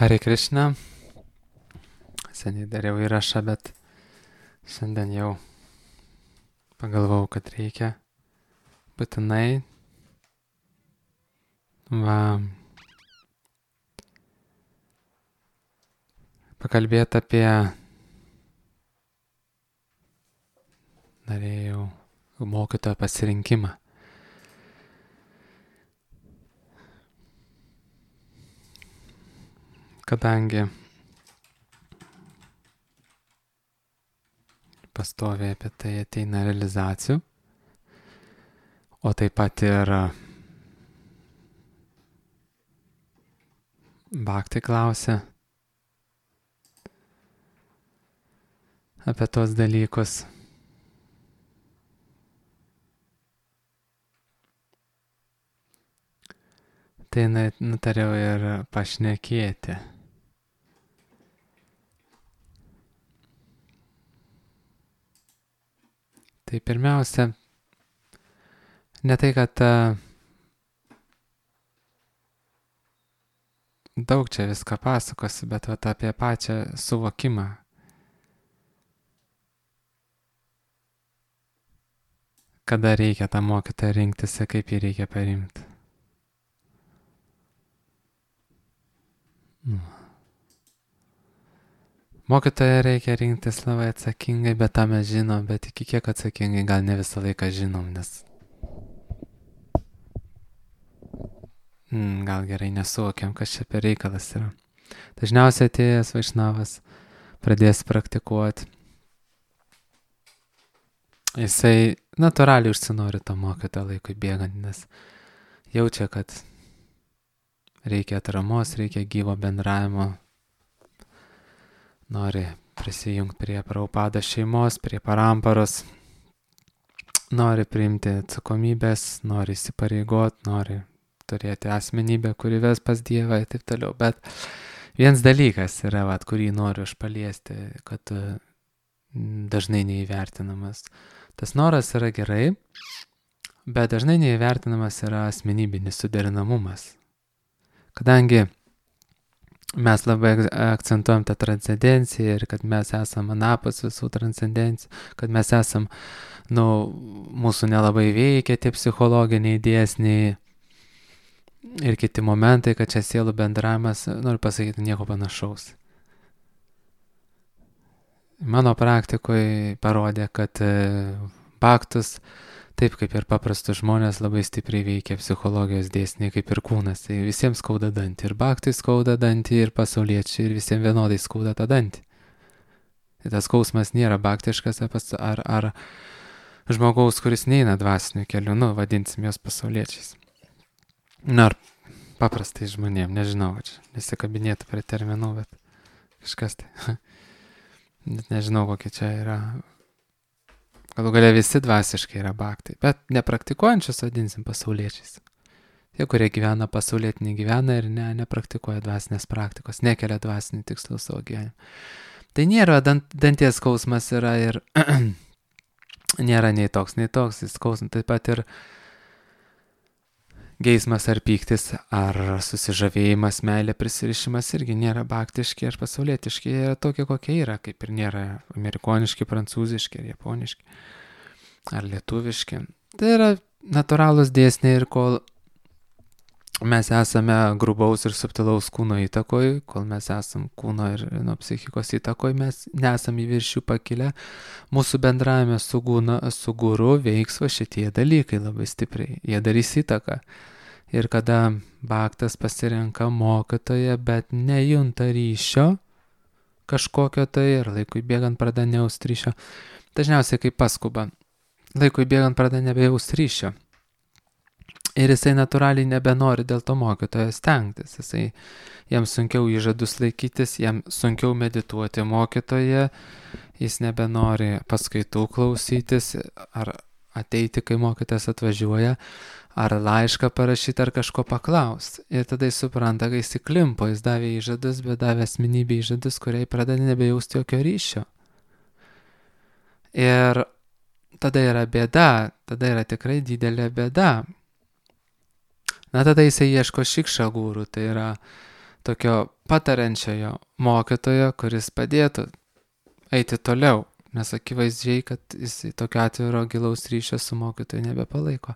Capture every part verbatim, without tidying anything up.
Hare Krishna. Seniai dariau įrašą, bet šiandien jau pagalvojau, kad reikia būtinai va, pakalbėti apie, norėjau, mokytojo pasirinkimą. Kadangi pastoviai apie tai ateina realizacijų, o taip pat ir Bhakti klausia apie tos dalykus. Tai nutariau ir pašnekėti. Tai pirmiausia, ne tai, kad uh, daug čia viską pasakosi, bet vat, apie pačią suvokimą. Kada reikia tą mokytoją rinktis ir kaip jį reikia parimti. Mokytoją reikia rinktis labai atsakingai, bet tą mes žinom, bet iki kiek atsakingai gal ne visą laiką žinom, nes mm, gal gerai nesuvokiam, kas čia per reikalas yra. Dažniausiai atėjęs Vaišnavas pradės praktikuoti. Jisai natūraliai užsinori to mokytojo laikui bėgant, nes jaučia, kad reikia atramos, reikia gyvo bendravimo. Nori prisijungti prie Prabhupada šeimos, prie paramparos, nori priimti atsakomybės, nori įsipareigoti, nori turėti asmenybę, kuri ves pas Dievą ir taip toliau. Bet vienas dalykas yra, vat, kurį noriu aš paliesti, kad dažnai neįvertinamas. Tas noras yra gerai, bet dažnai neįvertinamas yra asmenybinis suderinamumas. Kadangi mes labai akcentuojam tą transcendenciją ir kad mes esam anapus visų transcendencijų, kad mes esam, nu, mūsų nelabai veikia tie psichologiniai dėsniai ir kiti momentai, kad čia sielų bendravimas, noriu pasakyti, nieko panašaus. Mano praktikoje parodė, kad bhaktus, taip kaip ir paprastus žmonės, labai stipriai veikia psichologijos dėsniai, kaip ir kūnas. Tai visiems skauda dantį. Ir bhaktui skauda dantį, ir pasauliečiai, ir visiems vienodai skauda tą dantį. Tai tas skausmas nėra bhaktiškas ar, ar žmogaus, kuris neina dvasiniu keliu, nu, vadinsim jos pasauliečiais. Na, ar paprastai žmonėm, nežinau, čia nesikabinėtų prie terminų, bet kažkas tai. Net nežinau, kokia čia yra. Galų galia visi dvasiškai yra bhaktai, bet nepraktikuojančius vadinsim pasauliečiais. Tie, kurie gyvena pasaulietinį gyveną ir ne, nepraktikuoja dvasinės praktikos, nekelia dvasinį tikslų savo gyvenimą. Tai nėra, dant, danties skausmas yra ir nėra nei toks, nei toks, jis skausmas taip pat ir geismas ar pyktis, ar susižavėjimas, meilė, prisirišimas irgi nėra bhaktiški ar pasaulietiški, jie yra tokie, kokie yra, kaip ir nėra amerikoniški, prancūziški, ar japoniški, ar lietuviški. Tai yra natūralūs dėsniai ir kol mes esame grubaus ir subtilaus kūno įtakoj, kol mes esam kūno ir nuo psichikos įtakoj, mes nesam į viršų pakilę, mūsų bendravime su, gūna, su guru veiks va šitie dalykai labai stipriai, jie darys įtaką. Ir kada bhaktas pasirenka mokytoją, bet nejunta ryšio kažkokio tai ir laikui bėgant pradeda nejaust ryšio, dažniausiai kaip paskuba, laikui bėgant pradeda nebejaust ryšio. Ir jisai natūraliai nebenori dėl to mokytojo stengtis, jisai, jam sunkiau įžadus laikytis, jam sunkiau medituoti mokytoje, jis nebenori paskaitų klausytis ar ateiti, kai mokytojas atvažiuoja, ar laišką parašyti, ar kažko paklausti. Ir tada jis supranta, kai jis įklimpo, jis davė įžadus, bet davė asmenybę įžadus, kuriai pradeda nebejausti jokio ryšio. Ir tada yra bėda, tada yra tikrai didelė bėda. Na tada jisai ieško šikša gūrų, tai yra tokio patariančiojo mokytojo, kuris padėtų eiti toliau, nes akivaizdžiai, kad jis tokio atviro gilaus ryšio su mokytoju nebepalaiko.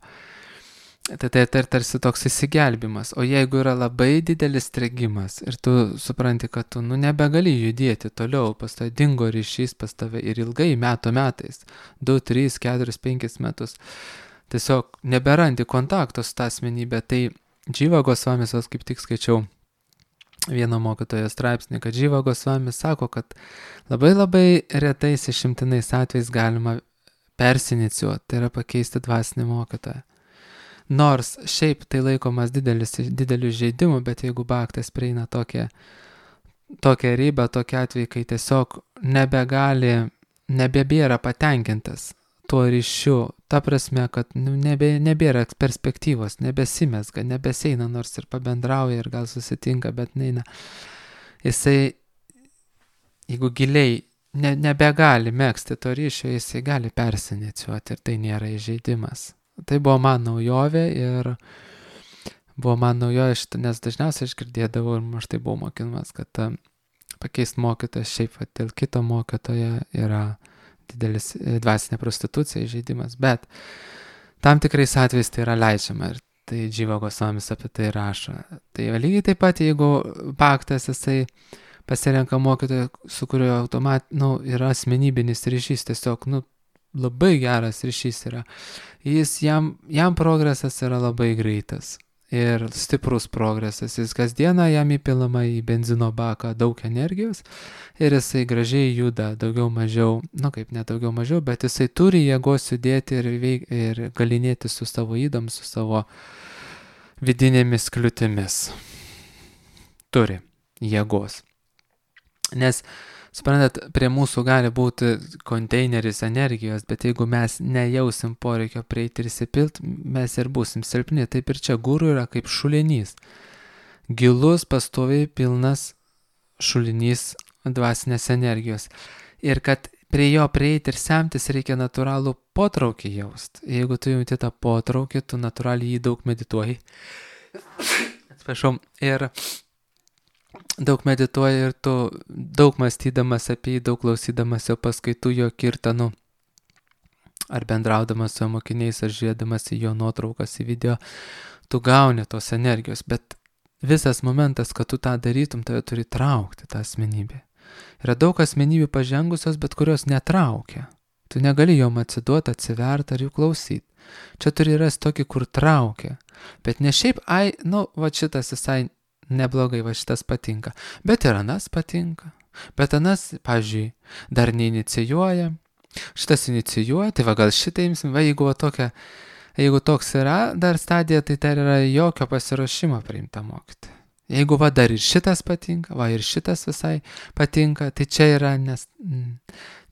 Tai tai tai tarsi toks įsigelbimas. O jeigu yra labai didelis strigimas ir tu supranti, kad tu nu, nebegali judėti toliau, pas tave dingo ryšys pas tave ir ilgai metų metais, du, trys, keturis, penkis metus, tiesiog neberandi kontakto su tą asmenybę, tai Dživa Gosvamis, aš kaip tik skaičiau vieno mokytojo straipsnį, kad Dživa Gosvamis sako, kad labai labai retais išimtinais atvejais galima persinicijuoti, tai yra pakeisti dvasinį mokytoją. Nors šiaip tai laikomas didelis, dideliu žaidimu, bet jeigu bhaktas prieina tokią, tokią ribą, tokią atvejį, kai tiesiog nebegali, nebebėra patenkintas tuo ryšiu, ta prasme, kad nu, nebe, nebėra perspektyvos, nebesimesga, nebeseina, nors ir pabendrauja ir gal susitinka, bet neina. Jisai, jeigu giliai ne, nebegali megzti to ryšio, jisai gali persinicijuoti ir tai nėra įžeidimas. Tai buvo man naujovė ir buvo man naujovė šitą, nes dažniausiai aš girdėdavau ir aš tai buvau mokinamas, kad uh, pakeisti mokytoją šiaip dėl kito mokytojo yra didelis dvasinė prostitucija, įžeidimas, bet tam tikrais atvejais tai yra leidžiama ir tai Dživa Gosvamis apie tai rašo. Tai lygiai taip pat, jeigu bhaktas jisai pasirenka mokytoją, su kuriuo automat, nu, yra asmenybinis ryšys, tiesiog, nu, labai geras ryšys yra. Jis, jam, jam progresas yra labai greitas ir stiprus progresas. Jis kasdieną jam įpilama į benzino baką daug energijos ir jisai gražiai juda daugiau mažiau, nu kaip ne daugiau mažiau, bet jisai turi jėgos judėti ir, veik, ir galinėti su savo ydom, su savo vidinėmis kliūtimis. Turi jėgos. Nes suprantat, prie mūsų gali būti konteineris energijos, bet jeigu mes nejausim poreikio prieiti ir įsipilt, mes ir būsim silpni. Taip ir čia guru yra kaip šulinys. Gilus, pastoviai pilnas šulinys dvasinės energijos. Ir kad prie jo prieiti ir semtis reikia natūralų potraukį jaust. Jeigu tu jauti tą potraukį, tu natūraliai jį daug medituoji. Atsiprašau. Ir daug medituoji ir tu daug mąstydamas apie jį, daug klausydamas jo paskaitų, jo kirtanų, ar bendraudamas su jo mokiniais, ar žiūrėdamas į jo nuotraukas, į video, tu gauni tos energijos, bet visas momentas, kad tu tą darytum, tave turi traukti tą asmenybę. Yra daug asmenybių pažengusios, bet kurios netraukia. Tu negali jom atsiduoti, atsiverti ar jų klausyti. Čia turi rasti tokį, kur traukia. Bet ne šiaip, ai, nu, va šitas visai neblogai, va šitas patinka. Bet ir anas patinka. Bet anas, pavyzdžiui, dar neinicijuoja. Šitas inicijuoja, tai va gal šitą imsim, va jeigu va tokia, jeigu toks yra dar stadija, tai dar yra jokio pasiruošimo priimta mokyti. Jeigu va dar ir šitas patinka, va ir šitas visai patinka, tai čia yra, nes,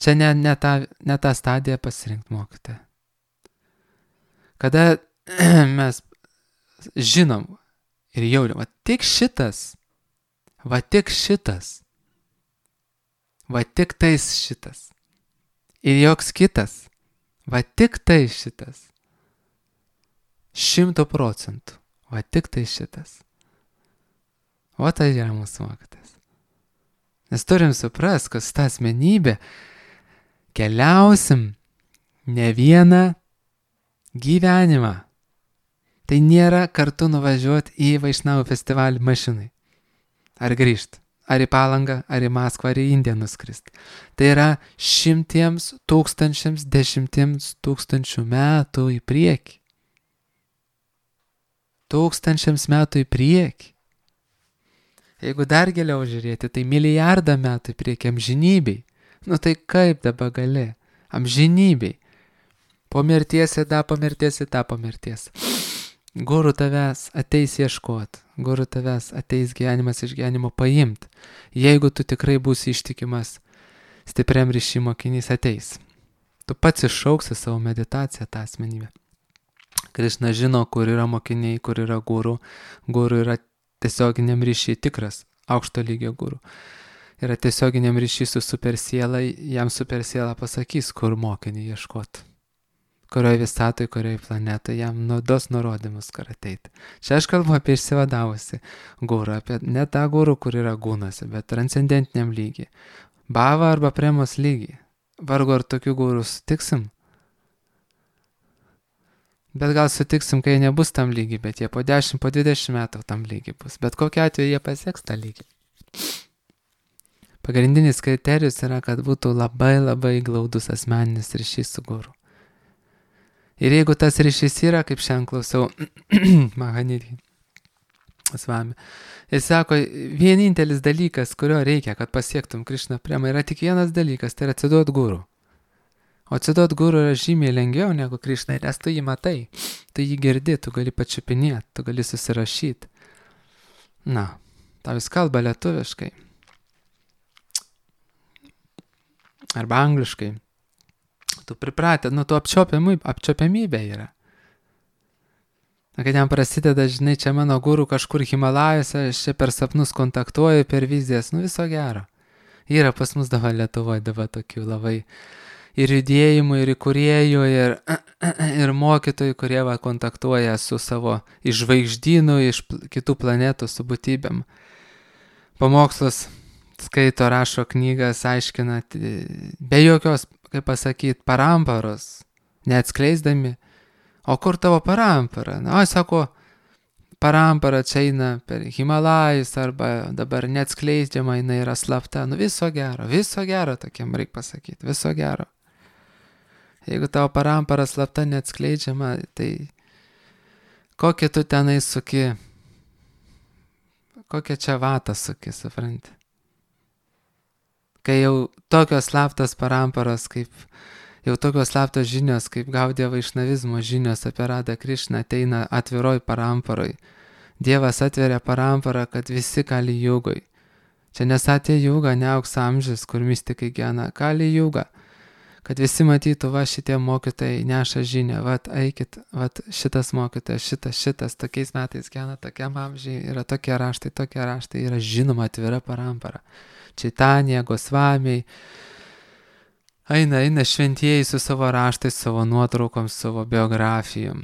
čia ne, ne, ta, ne ta stadija pasirinkti mokyti. Kada mes žinom, ir jaučiam, va tik šitas, va tik šitas, va tik tais šitas, ir joks kitas, va tik tai šitas, šimto procentų, va tik tai šitas. O tai yra mūsų mokytas. Nes turim suprast, kad su ta asmenybė keliausim ne vieną gyvenimą. Tai nėra kartu nuvažiuoti į Vaišnavų festivalį mašinai. Ar grįžti. Ar į Palangą, ar į Maskvą, ar į Indiją nuskrist. Tai yra šimtiems, tūkstančiams, dešimtiems tūkstančių metų į priekį. Tūkstančiams metų į priekį. Jeigu dar giliau žiūrėti, tai milijardą metų į priekį amžinybei. Nu tai kaip dabar gali? Amžinybei. Po mirties į tą, po mirties į tą, po mirties. Guru tavęs ateis ieškot, guru tavęs ateis gyvenimas iš gyvenimo paimt. Jeigu tu tikrai būsi ištikimas, stipriam ryšį mokinys ateis. Tu pats iššauksi savo meditaciją tą asmenybę. Krišna žino, kur yra mokiniai, kur yra guru. Guru yra tiesioginiam ryšį tikras, aukšto lygio guru. Yra tiesioginiam ryšį su supersiela, jam supersiela pasakys, kur mokinį ieškot. kurioje visatoje, kurioje planetoje jam nudos nurodymus, kur ateiti. Čia aš kalbu apie išsivadavusi gūrą, apie ne tą gūrų, kur yra gūnose, bet transcendentiniam lygiai. Bava arba premos lygiai. Vargu ar tokių gūrų sutiksim. Bet gal sutiksim, kai jie nebus tam lygiai, bet jie po dešimt, po dvidešimt metų tam lygiai bus. Bet kokiu atveju jie pasieks tą lygį. Pagrindinis kriterijus yra, kad būtų labai labai glaudus asmeninis ryšys su guru. Ir jeigu tas ryšys yra, kaip šiandien klausiau Mahanidhi Svami, jis sako, vienintelis dalykas, kurio reikia, kad pasiektum Krišna premą, yra tik vienas dalykas, tai yra atsiduot guru. O atsiduot guru yra žymiai lengviau negu Krišnai, nes tu jį matai, tu jį girdi, tu gali pačiupinėti, tu gali susirašyti. Na, tau jis kalba lietuviškai. Arba angliškai. Tu pripratę, nu, tu apčiopiamybė yra. Na, kad jam prasideda, žinai, čia mano guru kažkur Himalajuose, aš čia per sapnus kontaktuoju, per vizijas, nu, viso gero. Yra pas mus dabar Lietuvoje dabar tokių labai ir judėjimų, ir įkūrėjų, ir, ir mokytojų, kurie va, kontaktuoja su savo iš žvaigždynų, iš kitų planetų, su būtybėm. Pamokslus skaito, rašo knygas, aiškina, be jokios, kaip pasakyti, paramparos, neatskleisdami. O kur tavo parampara? Na, o, sako, parampara čia eina per Himalajus, arba dabar neatskleidžiama, jinai yra slapta. Nu, viso gero, viso gero, tokiam reikia pasakyti, viso gero. Jeigu tavo parampara slapta neatskleidžiama, tai kokie tu tenai suki, kokie čia vatą suki, supranti. Kai jau tokios slaptos paramparos, kaip, jau tokios slaptos žinios, kaip Gaudija vaišnavizmo žinios apie Radą Krišną ateina atviroj paramparoj. Dievas atveria paramparą, kad visi kali jūgoj. Čia nesatė jūga, ne auks amžius, kur mistikai gena, kali jūga. Kad visi matytų, va šitie mokytojai neša žinią, va eikit, va šitas mokytojas, šitas, šitas, tokiais metais gena, tokiam amžiai, yra tokie raštai, tokie raštai, yra žinoma atvira parampara. Čaitanija, Gosvamiai, eina, eina šventieji su savo raštais, savo nuotraukom, savo biografijom.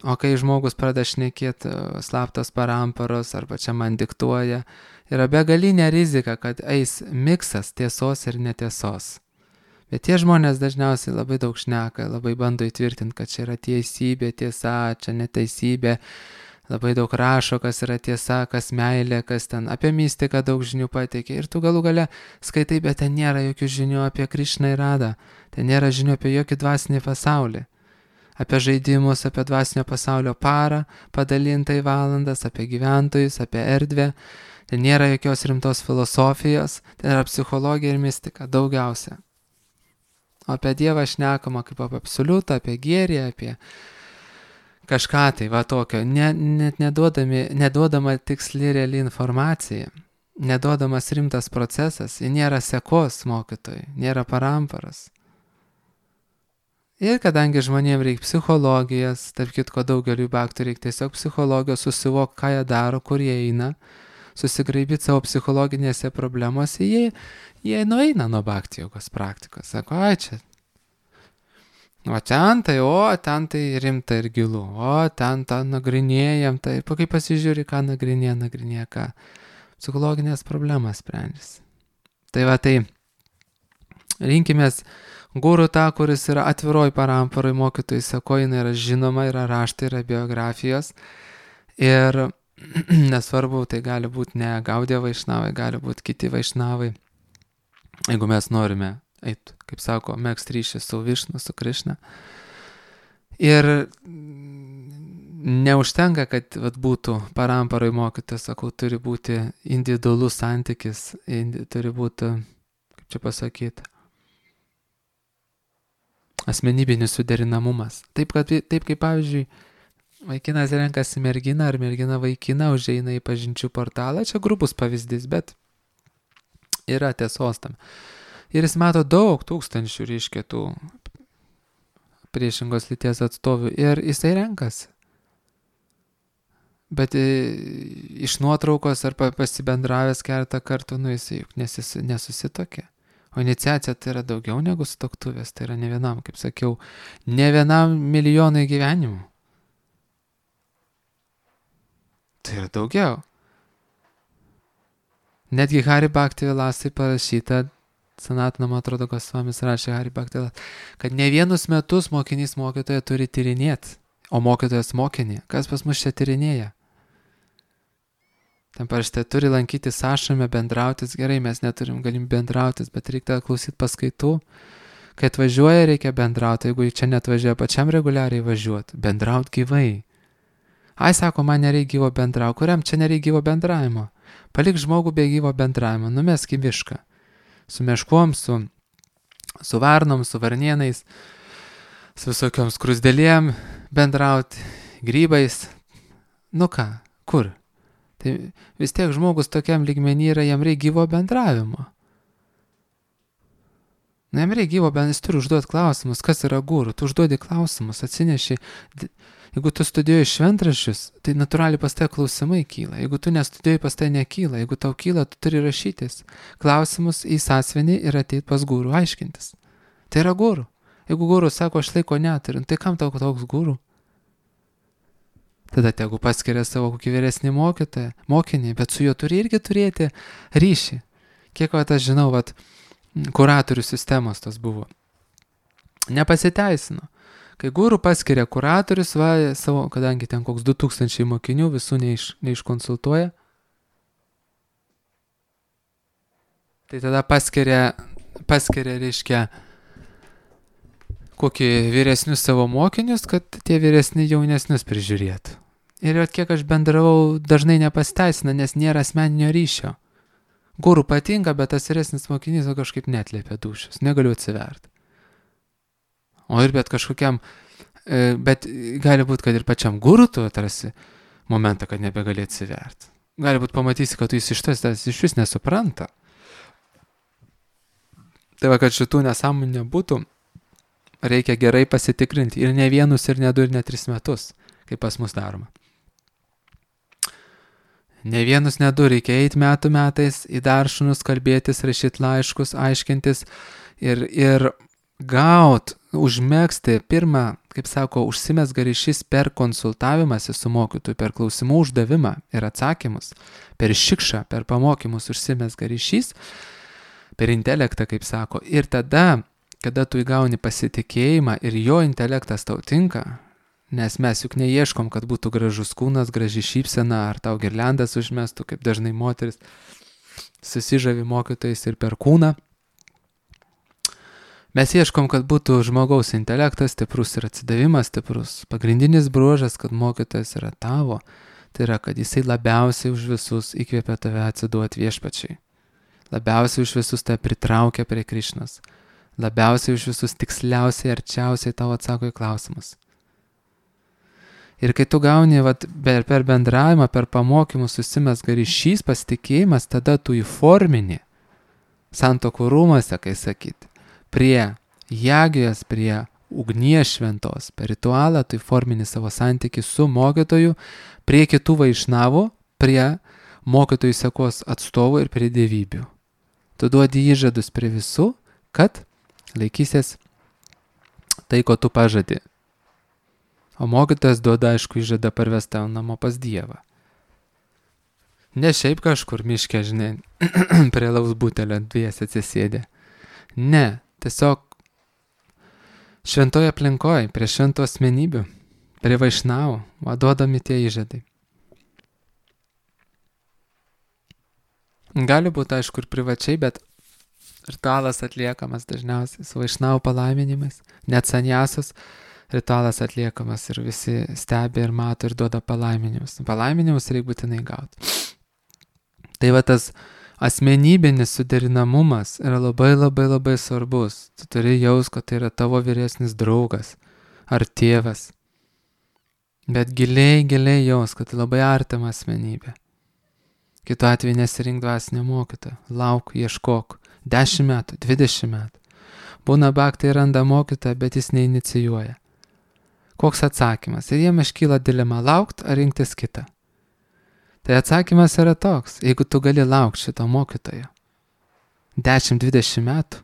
O kai žmogus pradeda šnekėti slaptos paramparos, arba čia man diktuoja, yra begalinė rizika, kad eis miksas tiesos ir netiesos. Bet tie žmonės dažniausiai labai daug šneka, labai bando įtvirtinti, kad čia yra teisybė, tiesa, čia neteisybė. Labai daug rašo, kas yra tiesa, kas meilė, kas ten apie mistiką daug žinių pateikia. Ir tu galų gale skaitai, bet ten nėra jokių žinių apie Krišną ir Radą. Ten nėra žinių apie jokį dvasinį pasaulį. Apie žaidimus, apie dvasinio pasaulio parą, padalintą į valandas, apie gyventojus, apie erdvę. Ten nėra jokios rimtos filosofijos, ten yra psichologija ir mistika, daugiausia. O apie Dievą šnekama kaip apie absoliutą, apie gėrį, apie kažką tai, va tokio, ne, net neduodami, neduodama tiksli reali informacija, neduodamas rimtas procesas, nėra sekos mokytojai, nėra paramparas. Ir kadangi žmonėms reikia psichologijos, tarp kitko daugeliu baktų reikia tiesiog psichologijos, susivok, ką jie daro, kur jie eina, susigraibyti savo psichologinėse problemose, jie, jie nueina nuo bhakti jogos praktikos. Sako, ai čia. O ten tai, o ten tai rimta ir gilu, o ten tą nagrinėjam, tai kai pasižiūri, ką nagrinėja, nagrinėja, ką psichologinės problemas sprendžiasi. Tai va tai, rinkimės guru tą, kuris yra atviroj paramparoj, mokytojai sako, jinai yra žinoma, yra raštai, yra biografijos ir nesvarbu, tai gali būti ne Gaudija vaišnavai, gali būti kiti vaišnavai, jeigu mes norime eit, kaip sako, megzt ryšį su Višnu, su Krišna. Ir neužtenka, kad vat, būtų paramparoj mokytojas, sakau, turi būti individualus santykis, indi, turi būti, kaip čia pasakyti, asmenybinis suderinamumas. Taip, kad, taip kaip, pavyzdžiui, vaikinas renkasi merginą ar mergina vaikiną, užeina į pažinčių portalą, čia grubus pavyzdys, bet yra tiesos tam. Ir jis mato daug tūkstančių, reiškia, tų priešingos lyties atstovių ir jisai renkasi. Bet iš nuotraukos ar pasibendravęs keletą kartų, nu jisai juk nesis, nesusitokė. O iniciacija tai yra daugiau negu sutuoktuvės, tai yra ne vienam, kaip sakiau, ne vienam milijonai gyvenimų. Tai yra daugiau. Netgi Hari Bhaktivilasai parašyta, Sanatana, man atrodo, Gosvamis rašė Hari Bhaktivilasai, kad ne vienus metus mokinys mokytoją turi tyrinėti, o mokytojas mokinį. Kas pas mus čia tyrinėja? Ten parašyta, turi lankytis ašrame, bendrautis. Gerai, mes neturim galim bendrautis, bet reikia klausyti paskaitų. Kai atvažiuoja, reikia bendrauti. Jeigu čia netvažiuoja, pačiam reguliariai važiuoti. Bendrauti gyvai. Ai, sako, man nereikia gyvo bendrauti. Kuriam čia nereikia gyvo bendravimo? Palik žmogų be gyvo bendravimo. Numesk į mišką. Su meškom, su, su varnom, su varnienais, su visokiom skrusdėlėm bendrauti, grybais. Nu ką, kur? Tai vis tiek žmogus tokiam lygmenį yra, jam reikia gyvo bendravimo. Na, jam reikia gyvo bendravimo, jis turi užduoti klausimus, kas yra guru. Tu užduodi klausimus, atsineši. Jeigu tu studijuoji šventraščius, tai natūraliai pas tai klausimai kyla. Jeigu tu nestudijuoji, pas tai nekyla. Jeigu tau kyla, tu turi rašytis klausimus į sąsiuvinį ir ateiti pas guru aiškintis. Tai yra guru. Jeigu guru sako, aš laiko neturiu, tai kam tau toks guru? Tada tegu paskiria savo kokį vyresnį mokytoją, mokinį, bet su juo turi irgi turėti ryšį. Kiek vat aš žinau, vat, kuratorių sistemos tas buvo. Nepasiteisino. Kai guru paskiria kuratorius, va, savo, kadangi ten koks du tūkstančiai mokinių, visų neiš, neiškonsultuoja, tai tada paskiria, paskiria, reiškia, kokį vyresnius savo mokinius, kad tie vyresni jaunesnius prižiūrėtų. Ir jau kiek aš bendravau, dažnai nepasteisina, nes nėra asmeninio ryšio. Guru patinka, bet tas vyresnis mokinys kažkaip netlėpia dušios, negaliu atsiverti. O ir bet kažkokiam, bet gali būti, kad ir pačiam guru tu atrasi momentą, kad nebegali atsiverti. Gali būti pamatysi, kad tu jis iš tas iš vis nesupranta. Tai va, kad šitų nesąmonų nebūtų, reikia gerai pasitikrinti. Ir ne vienus, ir ne du, ir ne tris metus, kaip pas mus daroma. Ne vienus, ne du, reikia eiti metų metais į daršunus, kalbėtis, rašyti laiškus, aiškintis ir, ir gaut, užmegzti pirmą, kaip sako, užsimezga ryšys per konsultavimąsi su mokytoju, per klausimų uždavimą ir atsakymus, per šikšą, per pamokymus užsimezga ryšys, per intelektą, kaip sako. Ir tada, kada tu įgauni pasitikėjimą ir jo intelektas tau tinka, nes mes juk neieškom, kad būtų gražus kūnas, graži šypsena, ar tau girliandas užmestų, kaip dažnai moteris susižavi mokytojais ir per kūną. Mes ieškom, kad būtų žmogaus intelektas stiprus ir atsidavimas stiprus. Pagrindinis bruožas, kad mokytojas yra tavo, tai yra, kad jisai labiausiai už visus įkvėpia tave atsiduoti viešpačiai. Labiausiai už visus tave pritraukia prie Krišnos. Labiausiai už visus tiksliausiai, arčiausiai tau atsako į klausimus. Ir kai tu gauni vat, per, per bendravimą, per pamokymus susimezga ryšys, pasitikėjimas, tada tu įformini santokų rūmuose, kai sakyti, prie jagijos, prie ugnies šventos, per ritualą tu įformini savo santykį su mokytoju, prie kitų vaišnavų, prie mokytojų sekos atstovų ir prie dievybių. Tu duodi įžadus prie visų, kad laikysies tai, ko tu pažadi. O mokytojas duoda, aišku, įžadą parvesti tau namo pas Dievą. Ne šiaip kažkur miške, žinai, prie laus butelio dvies atsisėdė. Ne, tiesiog šventoje aplinkoje, prie šventų asmenybių, prie vaišnavų, duodami tie įžadai. Gali būti, aišku, ir privačiai, bet ritualas atliekamas dažniausiai su vaišnavų palaiminimais, net sanjasos ritualas atliekamas ir visi stebi ir mato ir duoda palaiminimus. Palaiminimus reikia būtinai gauti. Tai va tas asmenybinis suderinamumas yra labai labai labai svarbus. Tu turi jaus, kad tai yra tavo vyresnis draugas ar tėvas. Bet giliai, giliai jaus, kad tai labai artima asmenybė. Kitu atveju nesirink dvasinę mokytoją. Lauk, ieškok. Dešimt metų, dvidešimt metų. Būna baktai randa mokytoją, bet jis neinicijuoja. Koks atsakymas? Ir jiem iškyla dilema laukti ar rinktis kitą. Tai atsakymas yra toks, jeigu tu gali laukti šito mokytojo. dešimt dvidešimt metų,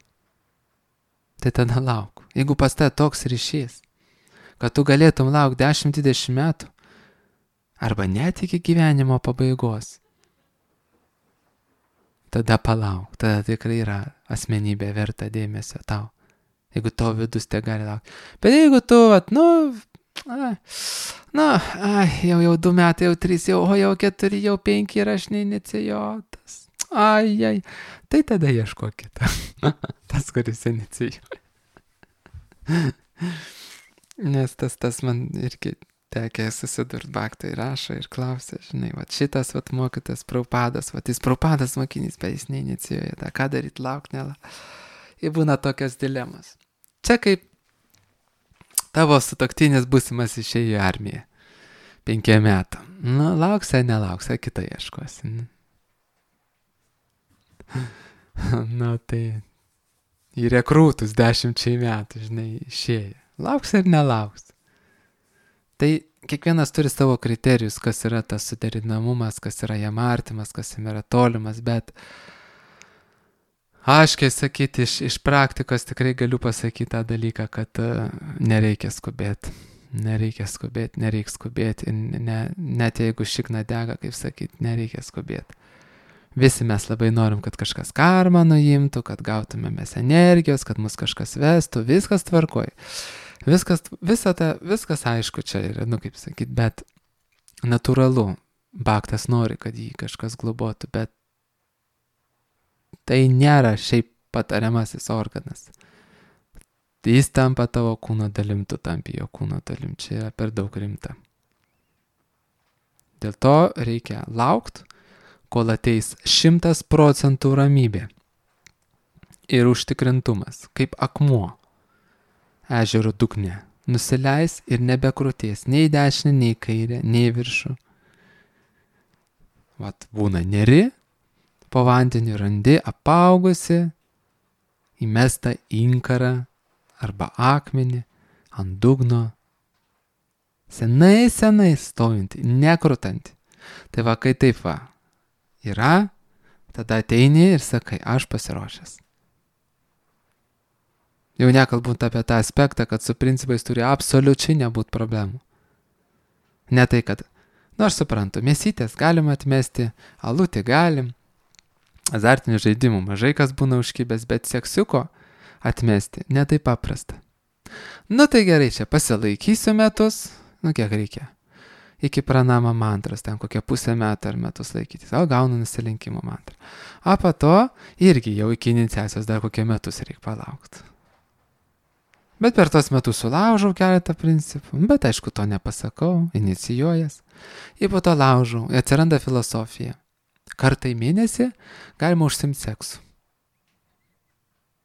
tai tada lauk. Jeigu pas tave toks ryšys, kad tu galėtum laukti dešimt dvidešimt metų, arba net iki gyvenimo pabaigos, tada palauk, tada tikrai yra asmenybė verta dėmesio tau. Jeigu tavo vidus te gali laukti. Bet jeigu tu, vat, nu, ai, nu, ai, jau jau du metai, jau trys, jau, o jau keturi, jau penki ir aš neinicijuotas. Ai, ai, tai tada ieško kitą. Tas, kuris inicijuoja. Nes tas, tas man irgi tekė susidurt, Bhaktai rašo ir klausia, žinai, vat šitas, vat mokytas Prabhupadas, vat jis Prabhupadas mokinys, bet jis neinicijuoja, tą ką daryt, lauk, nelauk. Ir būna tokios dilemas. Čia kaip tavo sutuoktinis būsimas išėjo į armiją. Penkiem metų. Nu, lauksai, nelauksai, kitą ieškosi. Nu, tai į rekrūtus dešimčiai metų, žinai, išėjo. Lauks ir nelauks. Tai kiekvienas turi savo kriterijus, kas yra tas suderinamumas, kas yra jam artimas, kas jam yra tolimas, bet aiškiai sakyti, iš, iš praktikos tikrai galiu pasakyti tą dalyką, kad uh, nereikia skubėti. Nereikia skubėti, nereikia skubėti. Ne, net jeigu šikna dega, kaip sakyti, nereikia skubėti. Visi mes labai norim, kad kažkas karmą nuimtų, kad gautume mes energijos, kad mus kažkas vestų, viskas tvarkoj. Viskas, visa ta, viskas aišku čia yra, nu kaip sakyti, bet natūralu. Bhaktas nori, kad jį kažkas globotų, bet tai nėra šiaip patariamasis organas. Jis tampa tavo kūno dalim, tu tampi jo kūno dalim. Čia yra per daug rimta. Dėl to reikia laukti, kol ateis šimtas procentų ramybė ir užtikrintumas, kaip akmuo ežero dugne. Nusileis ir nebekrutės nei į dešinę, nei į kairę, nei į viršų. Vat būna neri, po vandeniu randi apaugusi, įmestą inkarą arba akmenį ant dugno, senai, senai stovintį, nekrutanti. Tai va, kai taip va yra, tada ateini ir sakai, aš pasiruošęs. Jau nekalbant apie tą aspektą, kad su principais turi absoliučiai nebūti problemų. Ne tai, kad, nu aš suprantu, mėsytės galim atmesti, alutį galim, azartinių žaidimų mažai kas būna užkibęs, bet seksiuko atmesti ne taip paprasta. Nu tai gerai, čia pasilaikysiu metus, nu kiek reikia. Iki pranama mantros, ten kokią pusę metų ar metus laikytis, o gaunu nusilenkimo mantrą. O po to irgi jau iki iniciacijos dar kokie metus reikia palaukti. Bet per tos metus sulaužau keletą principų, bet aišku to nepasakau, inicijuojas. Ir po to laužau, atsiranda filosofija. Kartą į mėnesį galima užsimti seksu.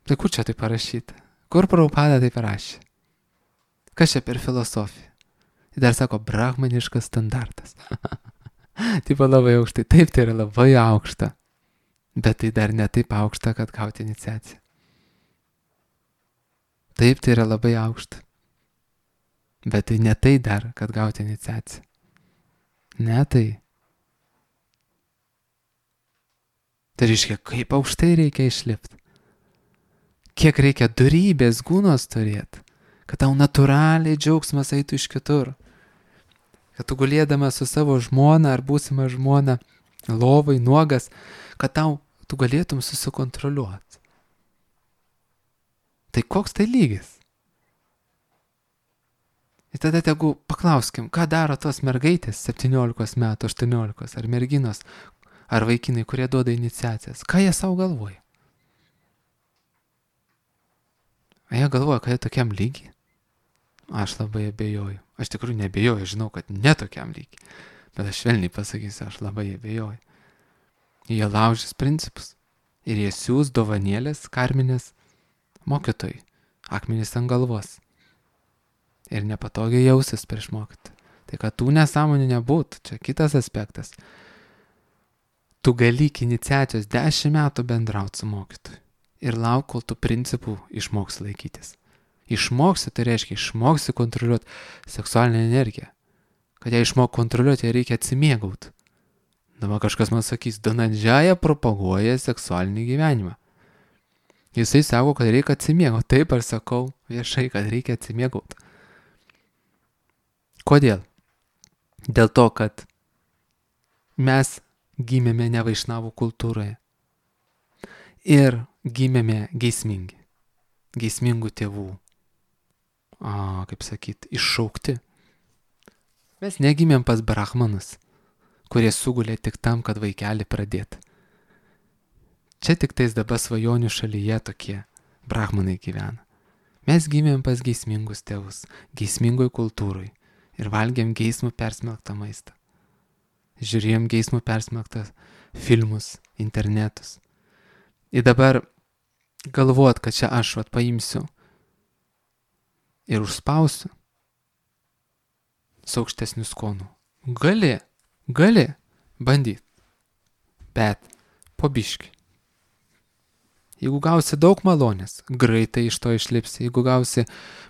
Tai kur čia tai parašyta? Kur Prabhupada tai parašė? Kas čia per filosofiją? Ir dar sako, brahmaniškas standartas. Taip labai aukštai. Taip, tai yra labai aukšta. Bet tai dar ne taip aukšta, kad gauti iniciaciją. Taip, tai yra labai aukšta. Bet tai ne tai dar, kad gauti iniciaciją. Ne tai. Tai reiškia, kaip aukštai reikia išlipti. Kiek reikia dorybės gūnos turėti, kad tau natūraliai džiaugsmas eitų iš kitur. Kad tu gulėdamas su savo žmona ar būsima žmona lovai nuogas, kad tau tu galėtum susikontroliuoti. Tai koks tai lygis? Ir tada tegu paklauskim, ką daro tos mergaitės septyniolikos metų, aštuoniolikos ar merginos, ar vaikinai, kurie duoda iniciacijas. Ką jie savo galvoja? A jie galvoja, kad jie tokiam lygiai? Aš labai abejoju. Aš tikrųjų neabejoju, žinau, kad ne tokiam lygiai. Bet aš švelniai pasakysiu, aš labai abejoju. Jie laužys principus. Ir jie siūs dovanėlės, karminės mokytojai. Akmenys ant galvos. Ir nepatogiai jausis prieš mokytą. Tai kad tų nesąmonių nebūtų, čia kitas aspektas. Tu gali iki iniciacijos dešimt metų bendrauti su mokytoju. Ir lauk, kol tu principų išmoksi laikytis. Išmoksi, tai reiškia, išmoksi kontroliuoti seksualinę energiją. Kad ją išmok kontroliuoti, ją reikia atsimėgauti. Dabar kažkas man sakys, Dhananjaya propaguoja seksualinį gyvenimą. Jisai sako, kad reikia atsimėgauti. Taip aš sakau viešai, kad reikia atsimėgauti. Kodėl? Dėl to, kad mes gimėme ne vaišnavų kultūroje. Ir gimėme geismingi. Geismingų tėvų. A, kaip sakyt, iššaukti. Mes negimėm pas brahmanus, kurie sugulė tik tam, kad vaikelį pradėt. Čia tik tais dabar svajonių šalyje tokie brahmanai gyvena. Mes gimėm pas geismingus tėvus, geismingoj kultūroj ir valgėm geismų persmelktą maistą. Žiūrėjom geismų persmelktą filmus, internetus. Ir dabar galvot, kad čia aš vat paimsiu ir užspausiu su aukštesniu skonu. Gali, gali bandyti, bet po biškį. Jeigu gausi daug malonės, greitai iš to išlipsi. Jeigu gausi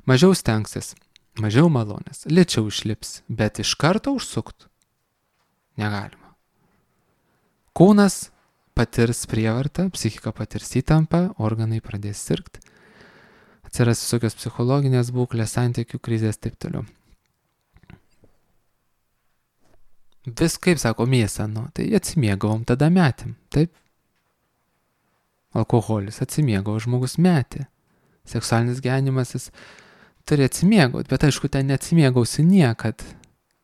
mažiau stengsis, mažiau malonės, lėčiau išlipsi, bet iš karto užsukt negalima. Kūnas patirs prievartą, psichika patirs įtampą, organai pradės sirgti, atsiras visokios psichologinės būklės, santykių krizės, taip toliau. Vis kaip sako mėsą, nu, tai atsimėgavom, tada metėm, taip? Alkoholis atsimėgavo, žmogus metė. Seksualinis gyvenimas jis turi atsimėgauti, bet aišku, ten neatsimėgausi niekad.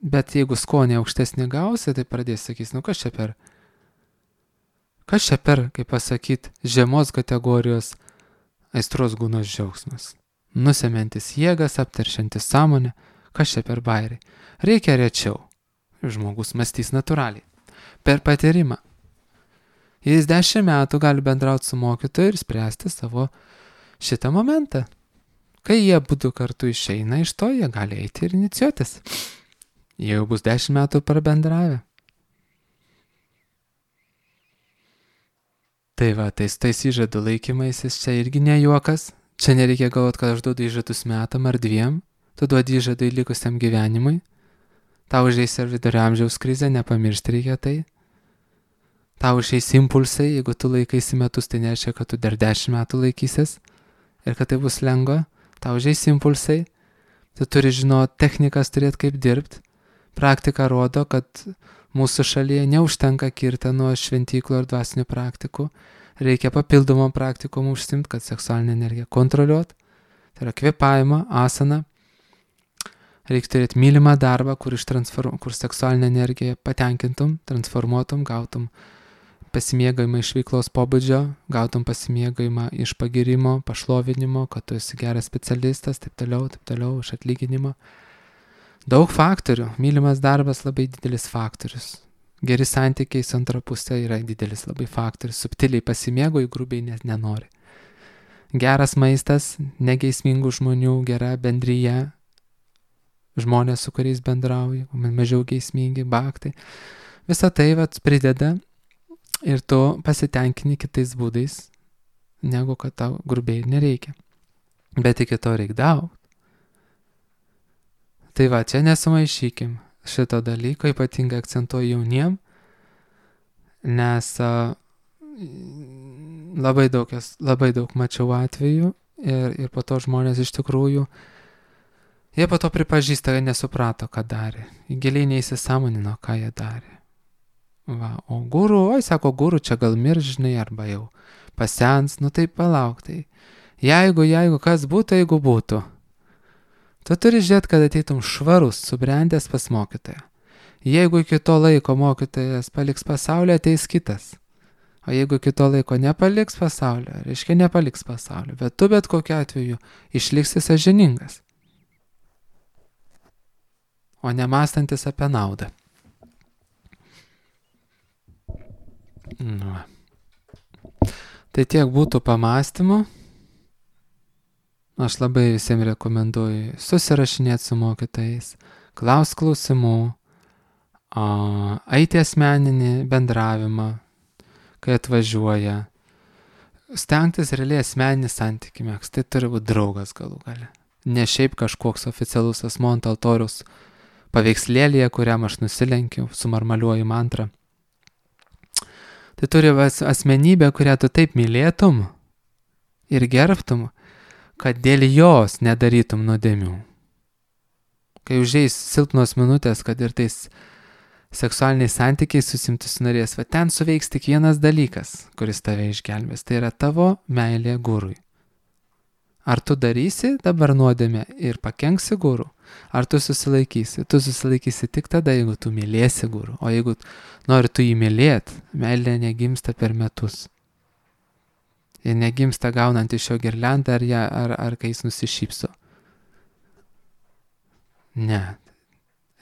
Bet jeigu skonį aukštesnį gausi, tai pradės sakys, nu kas čia per, kas čia per, kaip pasakyt, žemos kategorijos aistros gūnos džiaugsmas. Nusemantis jėgas, apteršiantis sąmonę, kas čia per bairiai. Reikia rečiau. Žmogus mąstys natūraliai. Per patyrimą. Jis dešimt metų gali bendrauti su mokytoju ir spręsti savo šitą momentą. Kai jie būtų kartu išeina iš to, jie gali eiti ir inicijuotis. Jie jau bus dešimt metų prabendravę. Tai va, tais tais įžadų laikymaisis čia irgi ne juokas. Čia nereikia galvoti, kad aš duodu įžadus metam ar dviem. Tu duodi įžadai likusiam gyvenimui. Tau užeis ir vidurio amžiaus krizė, nepamiršti reikia tai. Tau išeis impulsai, jeigu tu laikaisi metus, tai nereiškia, kad tu dar dešimt metų laikysis ir kad tai bus lengva. Tau išeis impulsai, tu turi žinoti technikas, turėti kaip dirbti. Praktika rodo, kad mūsų šalyje neužtenka kirti nuo šventyklų ir dvasinių praktikų. Reikia papildomom praktikom užsimti, kad seksualinę energiją kontroliuot. Tai yra kvėpavimą, asaną. Reikia turėti mylimą darbą, kur, kur seksualinę energiją patenkintum, transformuotum, gautum pasimėgavimą iš veiklos pobūdžio, gautum pasimėgavimą iš pagirimo, pašlovinimo, kad tu esi geras specialistas, taip toliau, taip toliau, iš atlyginimo. Daug faktorių. Mylimas darbas labai didelis faktorius. Geri santykiai su antra pusė yra didelis labai faktorius. Subtiliai pasimėgoji, grubiai net nenori. Geras maistas, negeismingų žmonių, gera bendryje, žmonės, su kuriais bendrauji, mažiau geismingi, baktai. Visą tai vat prideda ir tu pasitenkini kitais būdais, negu kad tau grubiai nereikia. Bet iki to reikia daug. Tai va, čia nesumaišykim šito dalyko, ypatingai akcentuoju jauniem, nes a, labai daug, labai daug mačiau atvejų ir, ir po to žmonės iš tikrųjų, jie po to pripažįsta, kad nesuprato, ką darė. Giliai neįsisąmonino, ką jie darė. Va, o guru, oi, sako, guru čia gal miržinai arba jau pasens, nu tai palauk, tai jeigu, jeigu, kas būtų, jeigu būtų. Tu turi žiūrėti, kad ateitum švarus, subrendęs pas mokytoją. Jeigu iki to laiko mokytojas paliks pasaulio, ateis kitas. O jeigu iki to laiko nepaliks pasaulio, reiškia nepaliks pasaulio, bet tu bet kokiu atveju išliksi sąžiningas. O nemąstantis apie naudą. Nu. Tai tiek būtų pamąstymų. Aš labai visiems rekomenduoju susirašinėti su mokytojais, klaus klausimų, eiti asmeninį bendravimą, kai atvažiuoja, stengtis realiai asmeninį santykį mėgst, tai turi būti draugas galų gale. Ne šiaip kažkoks oficialus asmuo ant altoriaus paveikslėlėje, kuriam aš nusilenkiu, sumarmaliuoju mantrą. Tai turi asmenybę, kurią tu taip mylėtum, ir gerbtum, kad dėl jos nedarytum nuodėmių. Kai užeis silpnos minutės, kad ir tais seksualiniais santykiais susimtis norės, va ten suveiks tik vienas dalykas, kuris tave išgelbės. Tai yra tavo meilė gurui. Ar tu darysi dabar nuodėmę ir pakenksi gurų, ar tu susilaikysi? Tu susilaikysi tik tada, jeigu tu mylėsi gurų. O jeigu nori tu jį mylėt, meilė negimsta per metus. Ir negimsta gaunant iš jo girliandą ar, ją, ar, ar kai jis nusišypso. Ne.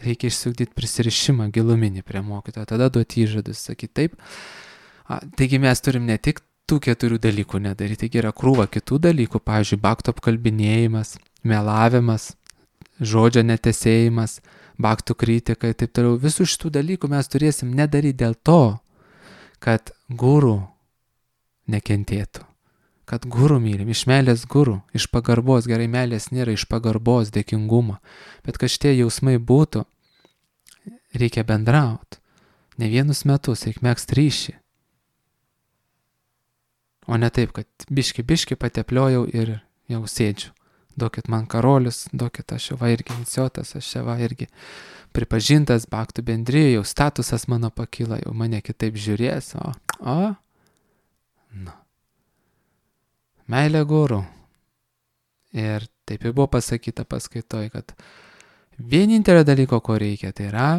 Reikia išsiugdyti prisirišimą giluminį prie mokytojo, tada duoti įžadus, sakyti taip. A, taigi mes turim ne tik tų keturių dalykų nedaryti, taigi yra krūva kitų dalykų, pavyzdžiui, bakto apkalbinėjimas, melavimas, žodžio netesėjimas, baktų kritika ir taip toliau. Visų šitų dalykų mes turėsim nedaryti dėl to, kad gurų nekentėtų, kad gurų mylim, iš meilės gurų, iš pagarbos, gerai, meilės nėra iš pagarbos, dėkingumo, bet kad šitie jausmai būtų, reikia bendrauti, ne vienus metus, reikia megzt ryšį, o ne taip, kad biški, biški patepliojau ir jau sėdžiu, duokit man karolius, duokit aš jau va irgi iniciotas, aš jau va irgi pripažintas baktų bendrijoje, jau statusas mano pakyla, jau mane kitaip žiūrės, o, o, nu. Meilė gurų. Ir taip jau buvo pasakyta paskaitoj, kad vienintelio dalyko, ko reikia, tai yra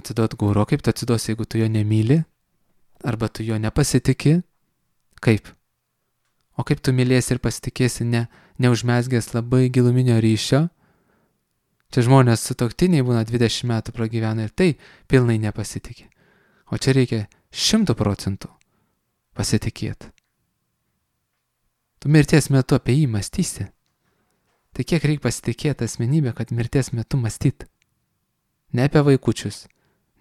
atiduoti gurų. Kaip tu atsiduosi, jeigu tu jo nemyli, arba tu jo nepasitiki, kaip? O kaip tu mylėsi ir pasitikėsi ne, neužmesgęs labai giluminio ryšio? Čia žmonės sutuoktiniai būna dvidešimt metų pragyvena ir tai pilnai nepasitikė. O čia reikia šimtų procentų pasitikėti. Tu mirties metu apie jį mąstysi. Tai kiek reikia pasitikėti asmenybę, kad mirties metu mąstyt? Ne apie vaikučius,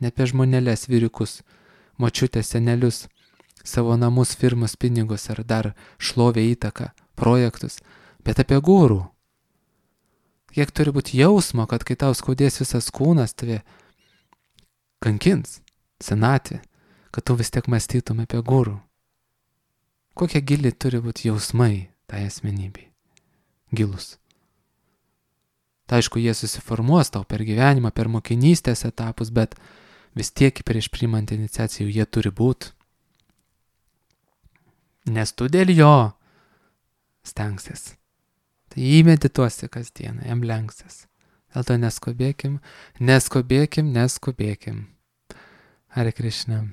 ne apie žmonelės, vyriukus, močiutės, senelius, savo namus, firmas, pinigus ar dar šlovę, įtaką, projektus, bet apie gurų. Kiek turi būti jausmo, kad kai tau skaudės visas kūnas, tave kankins, senatvė, kad tu vis tiek mąstytum apie gurų. Kokie gili turi būti jausmai tai asmenybei? Gilus. Tai aišku, jie susiformuos tau per gyvenimą, per mokinystės etapus, bet vis tiek prieš priimant iniciacijų jie turi būti. Nes tu dėl jo stengsies. Tai jį medituosi kasdieną, jam lenksis. Dėl to neskubėkim, neskubėkim, neskubėkim. Hare Krishna.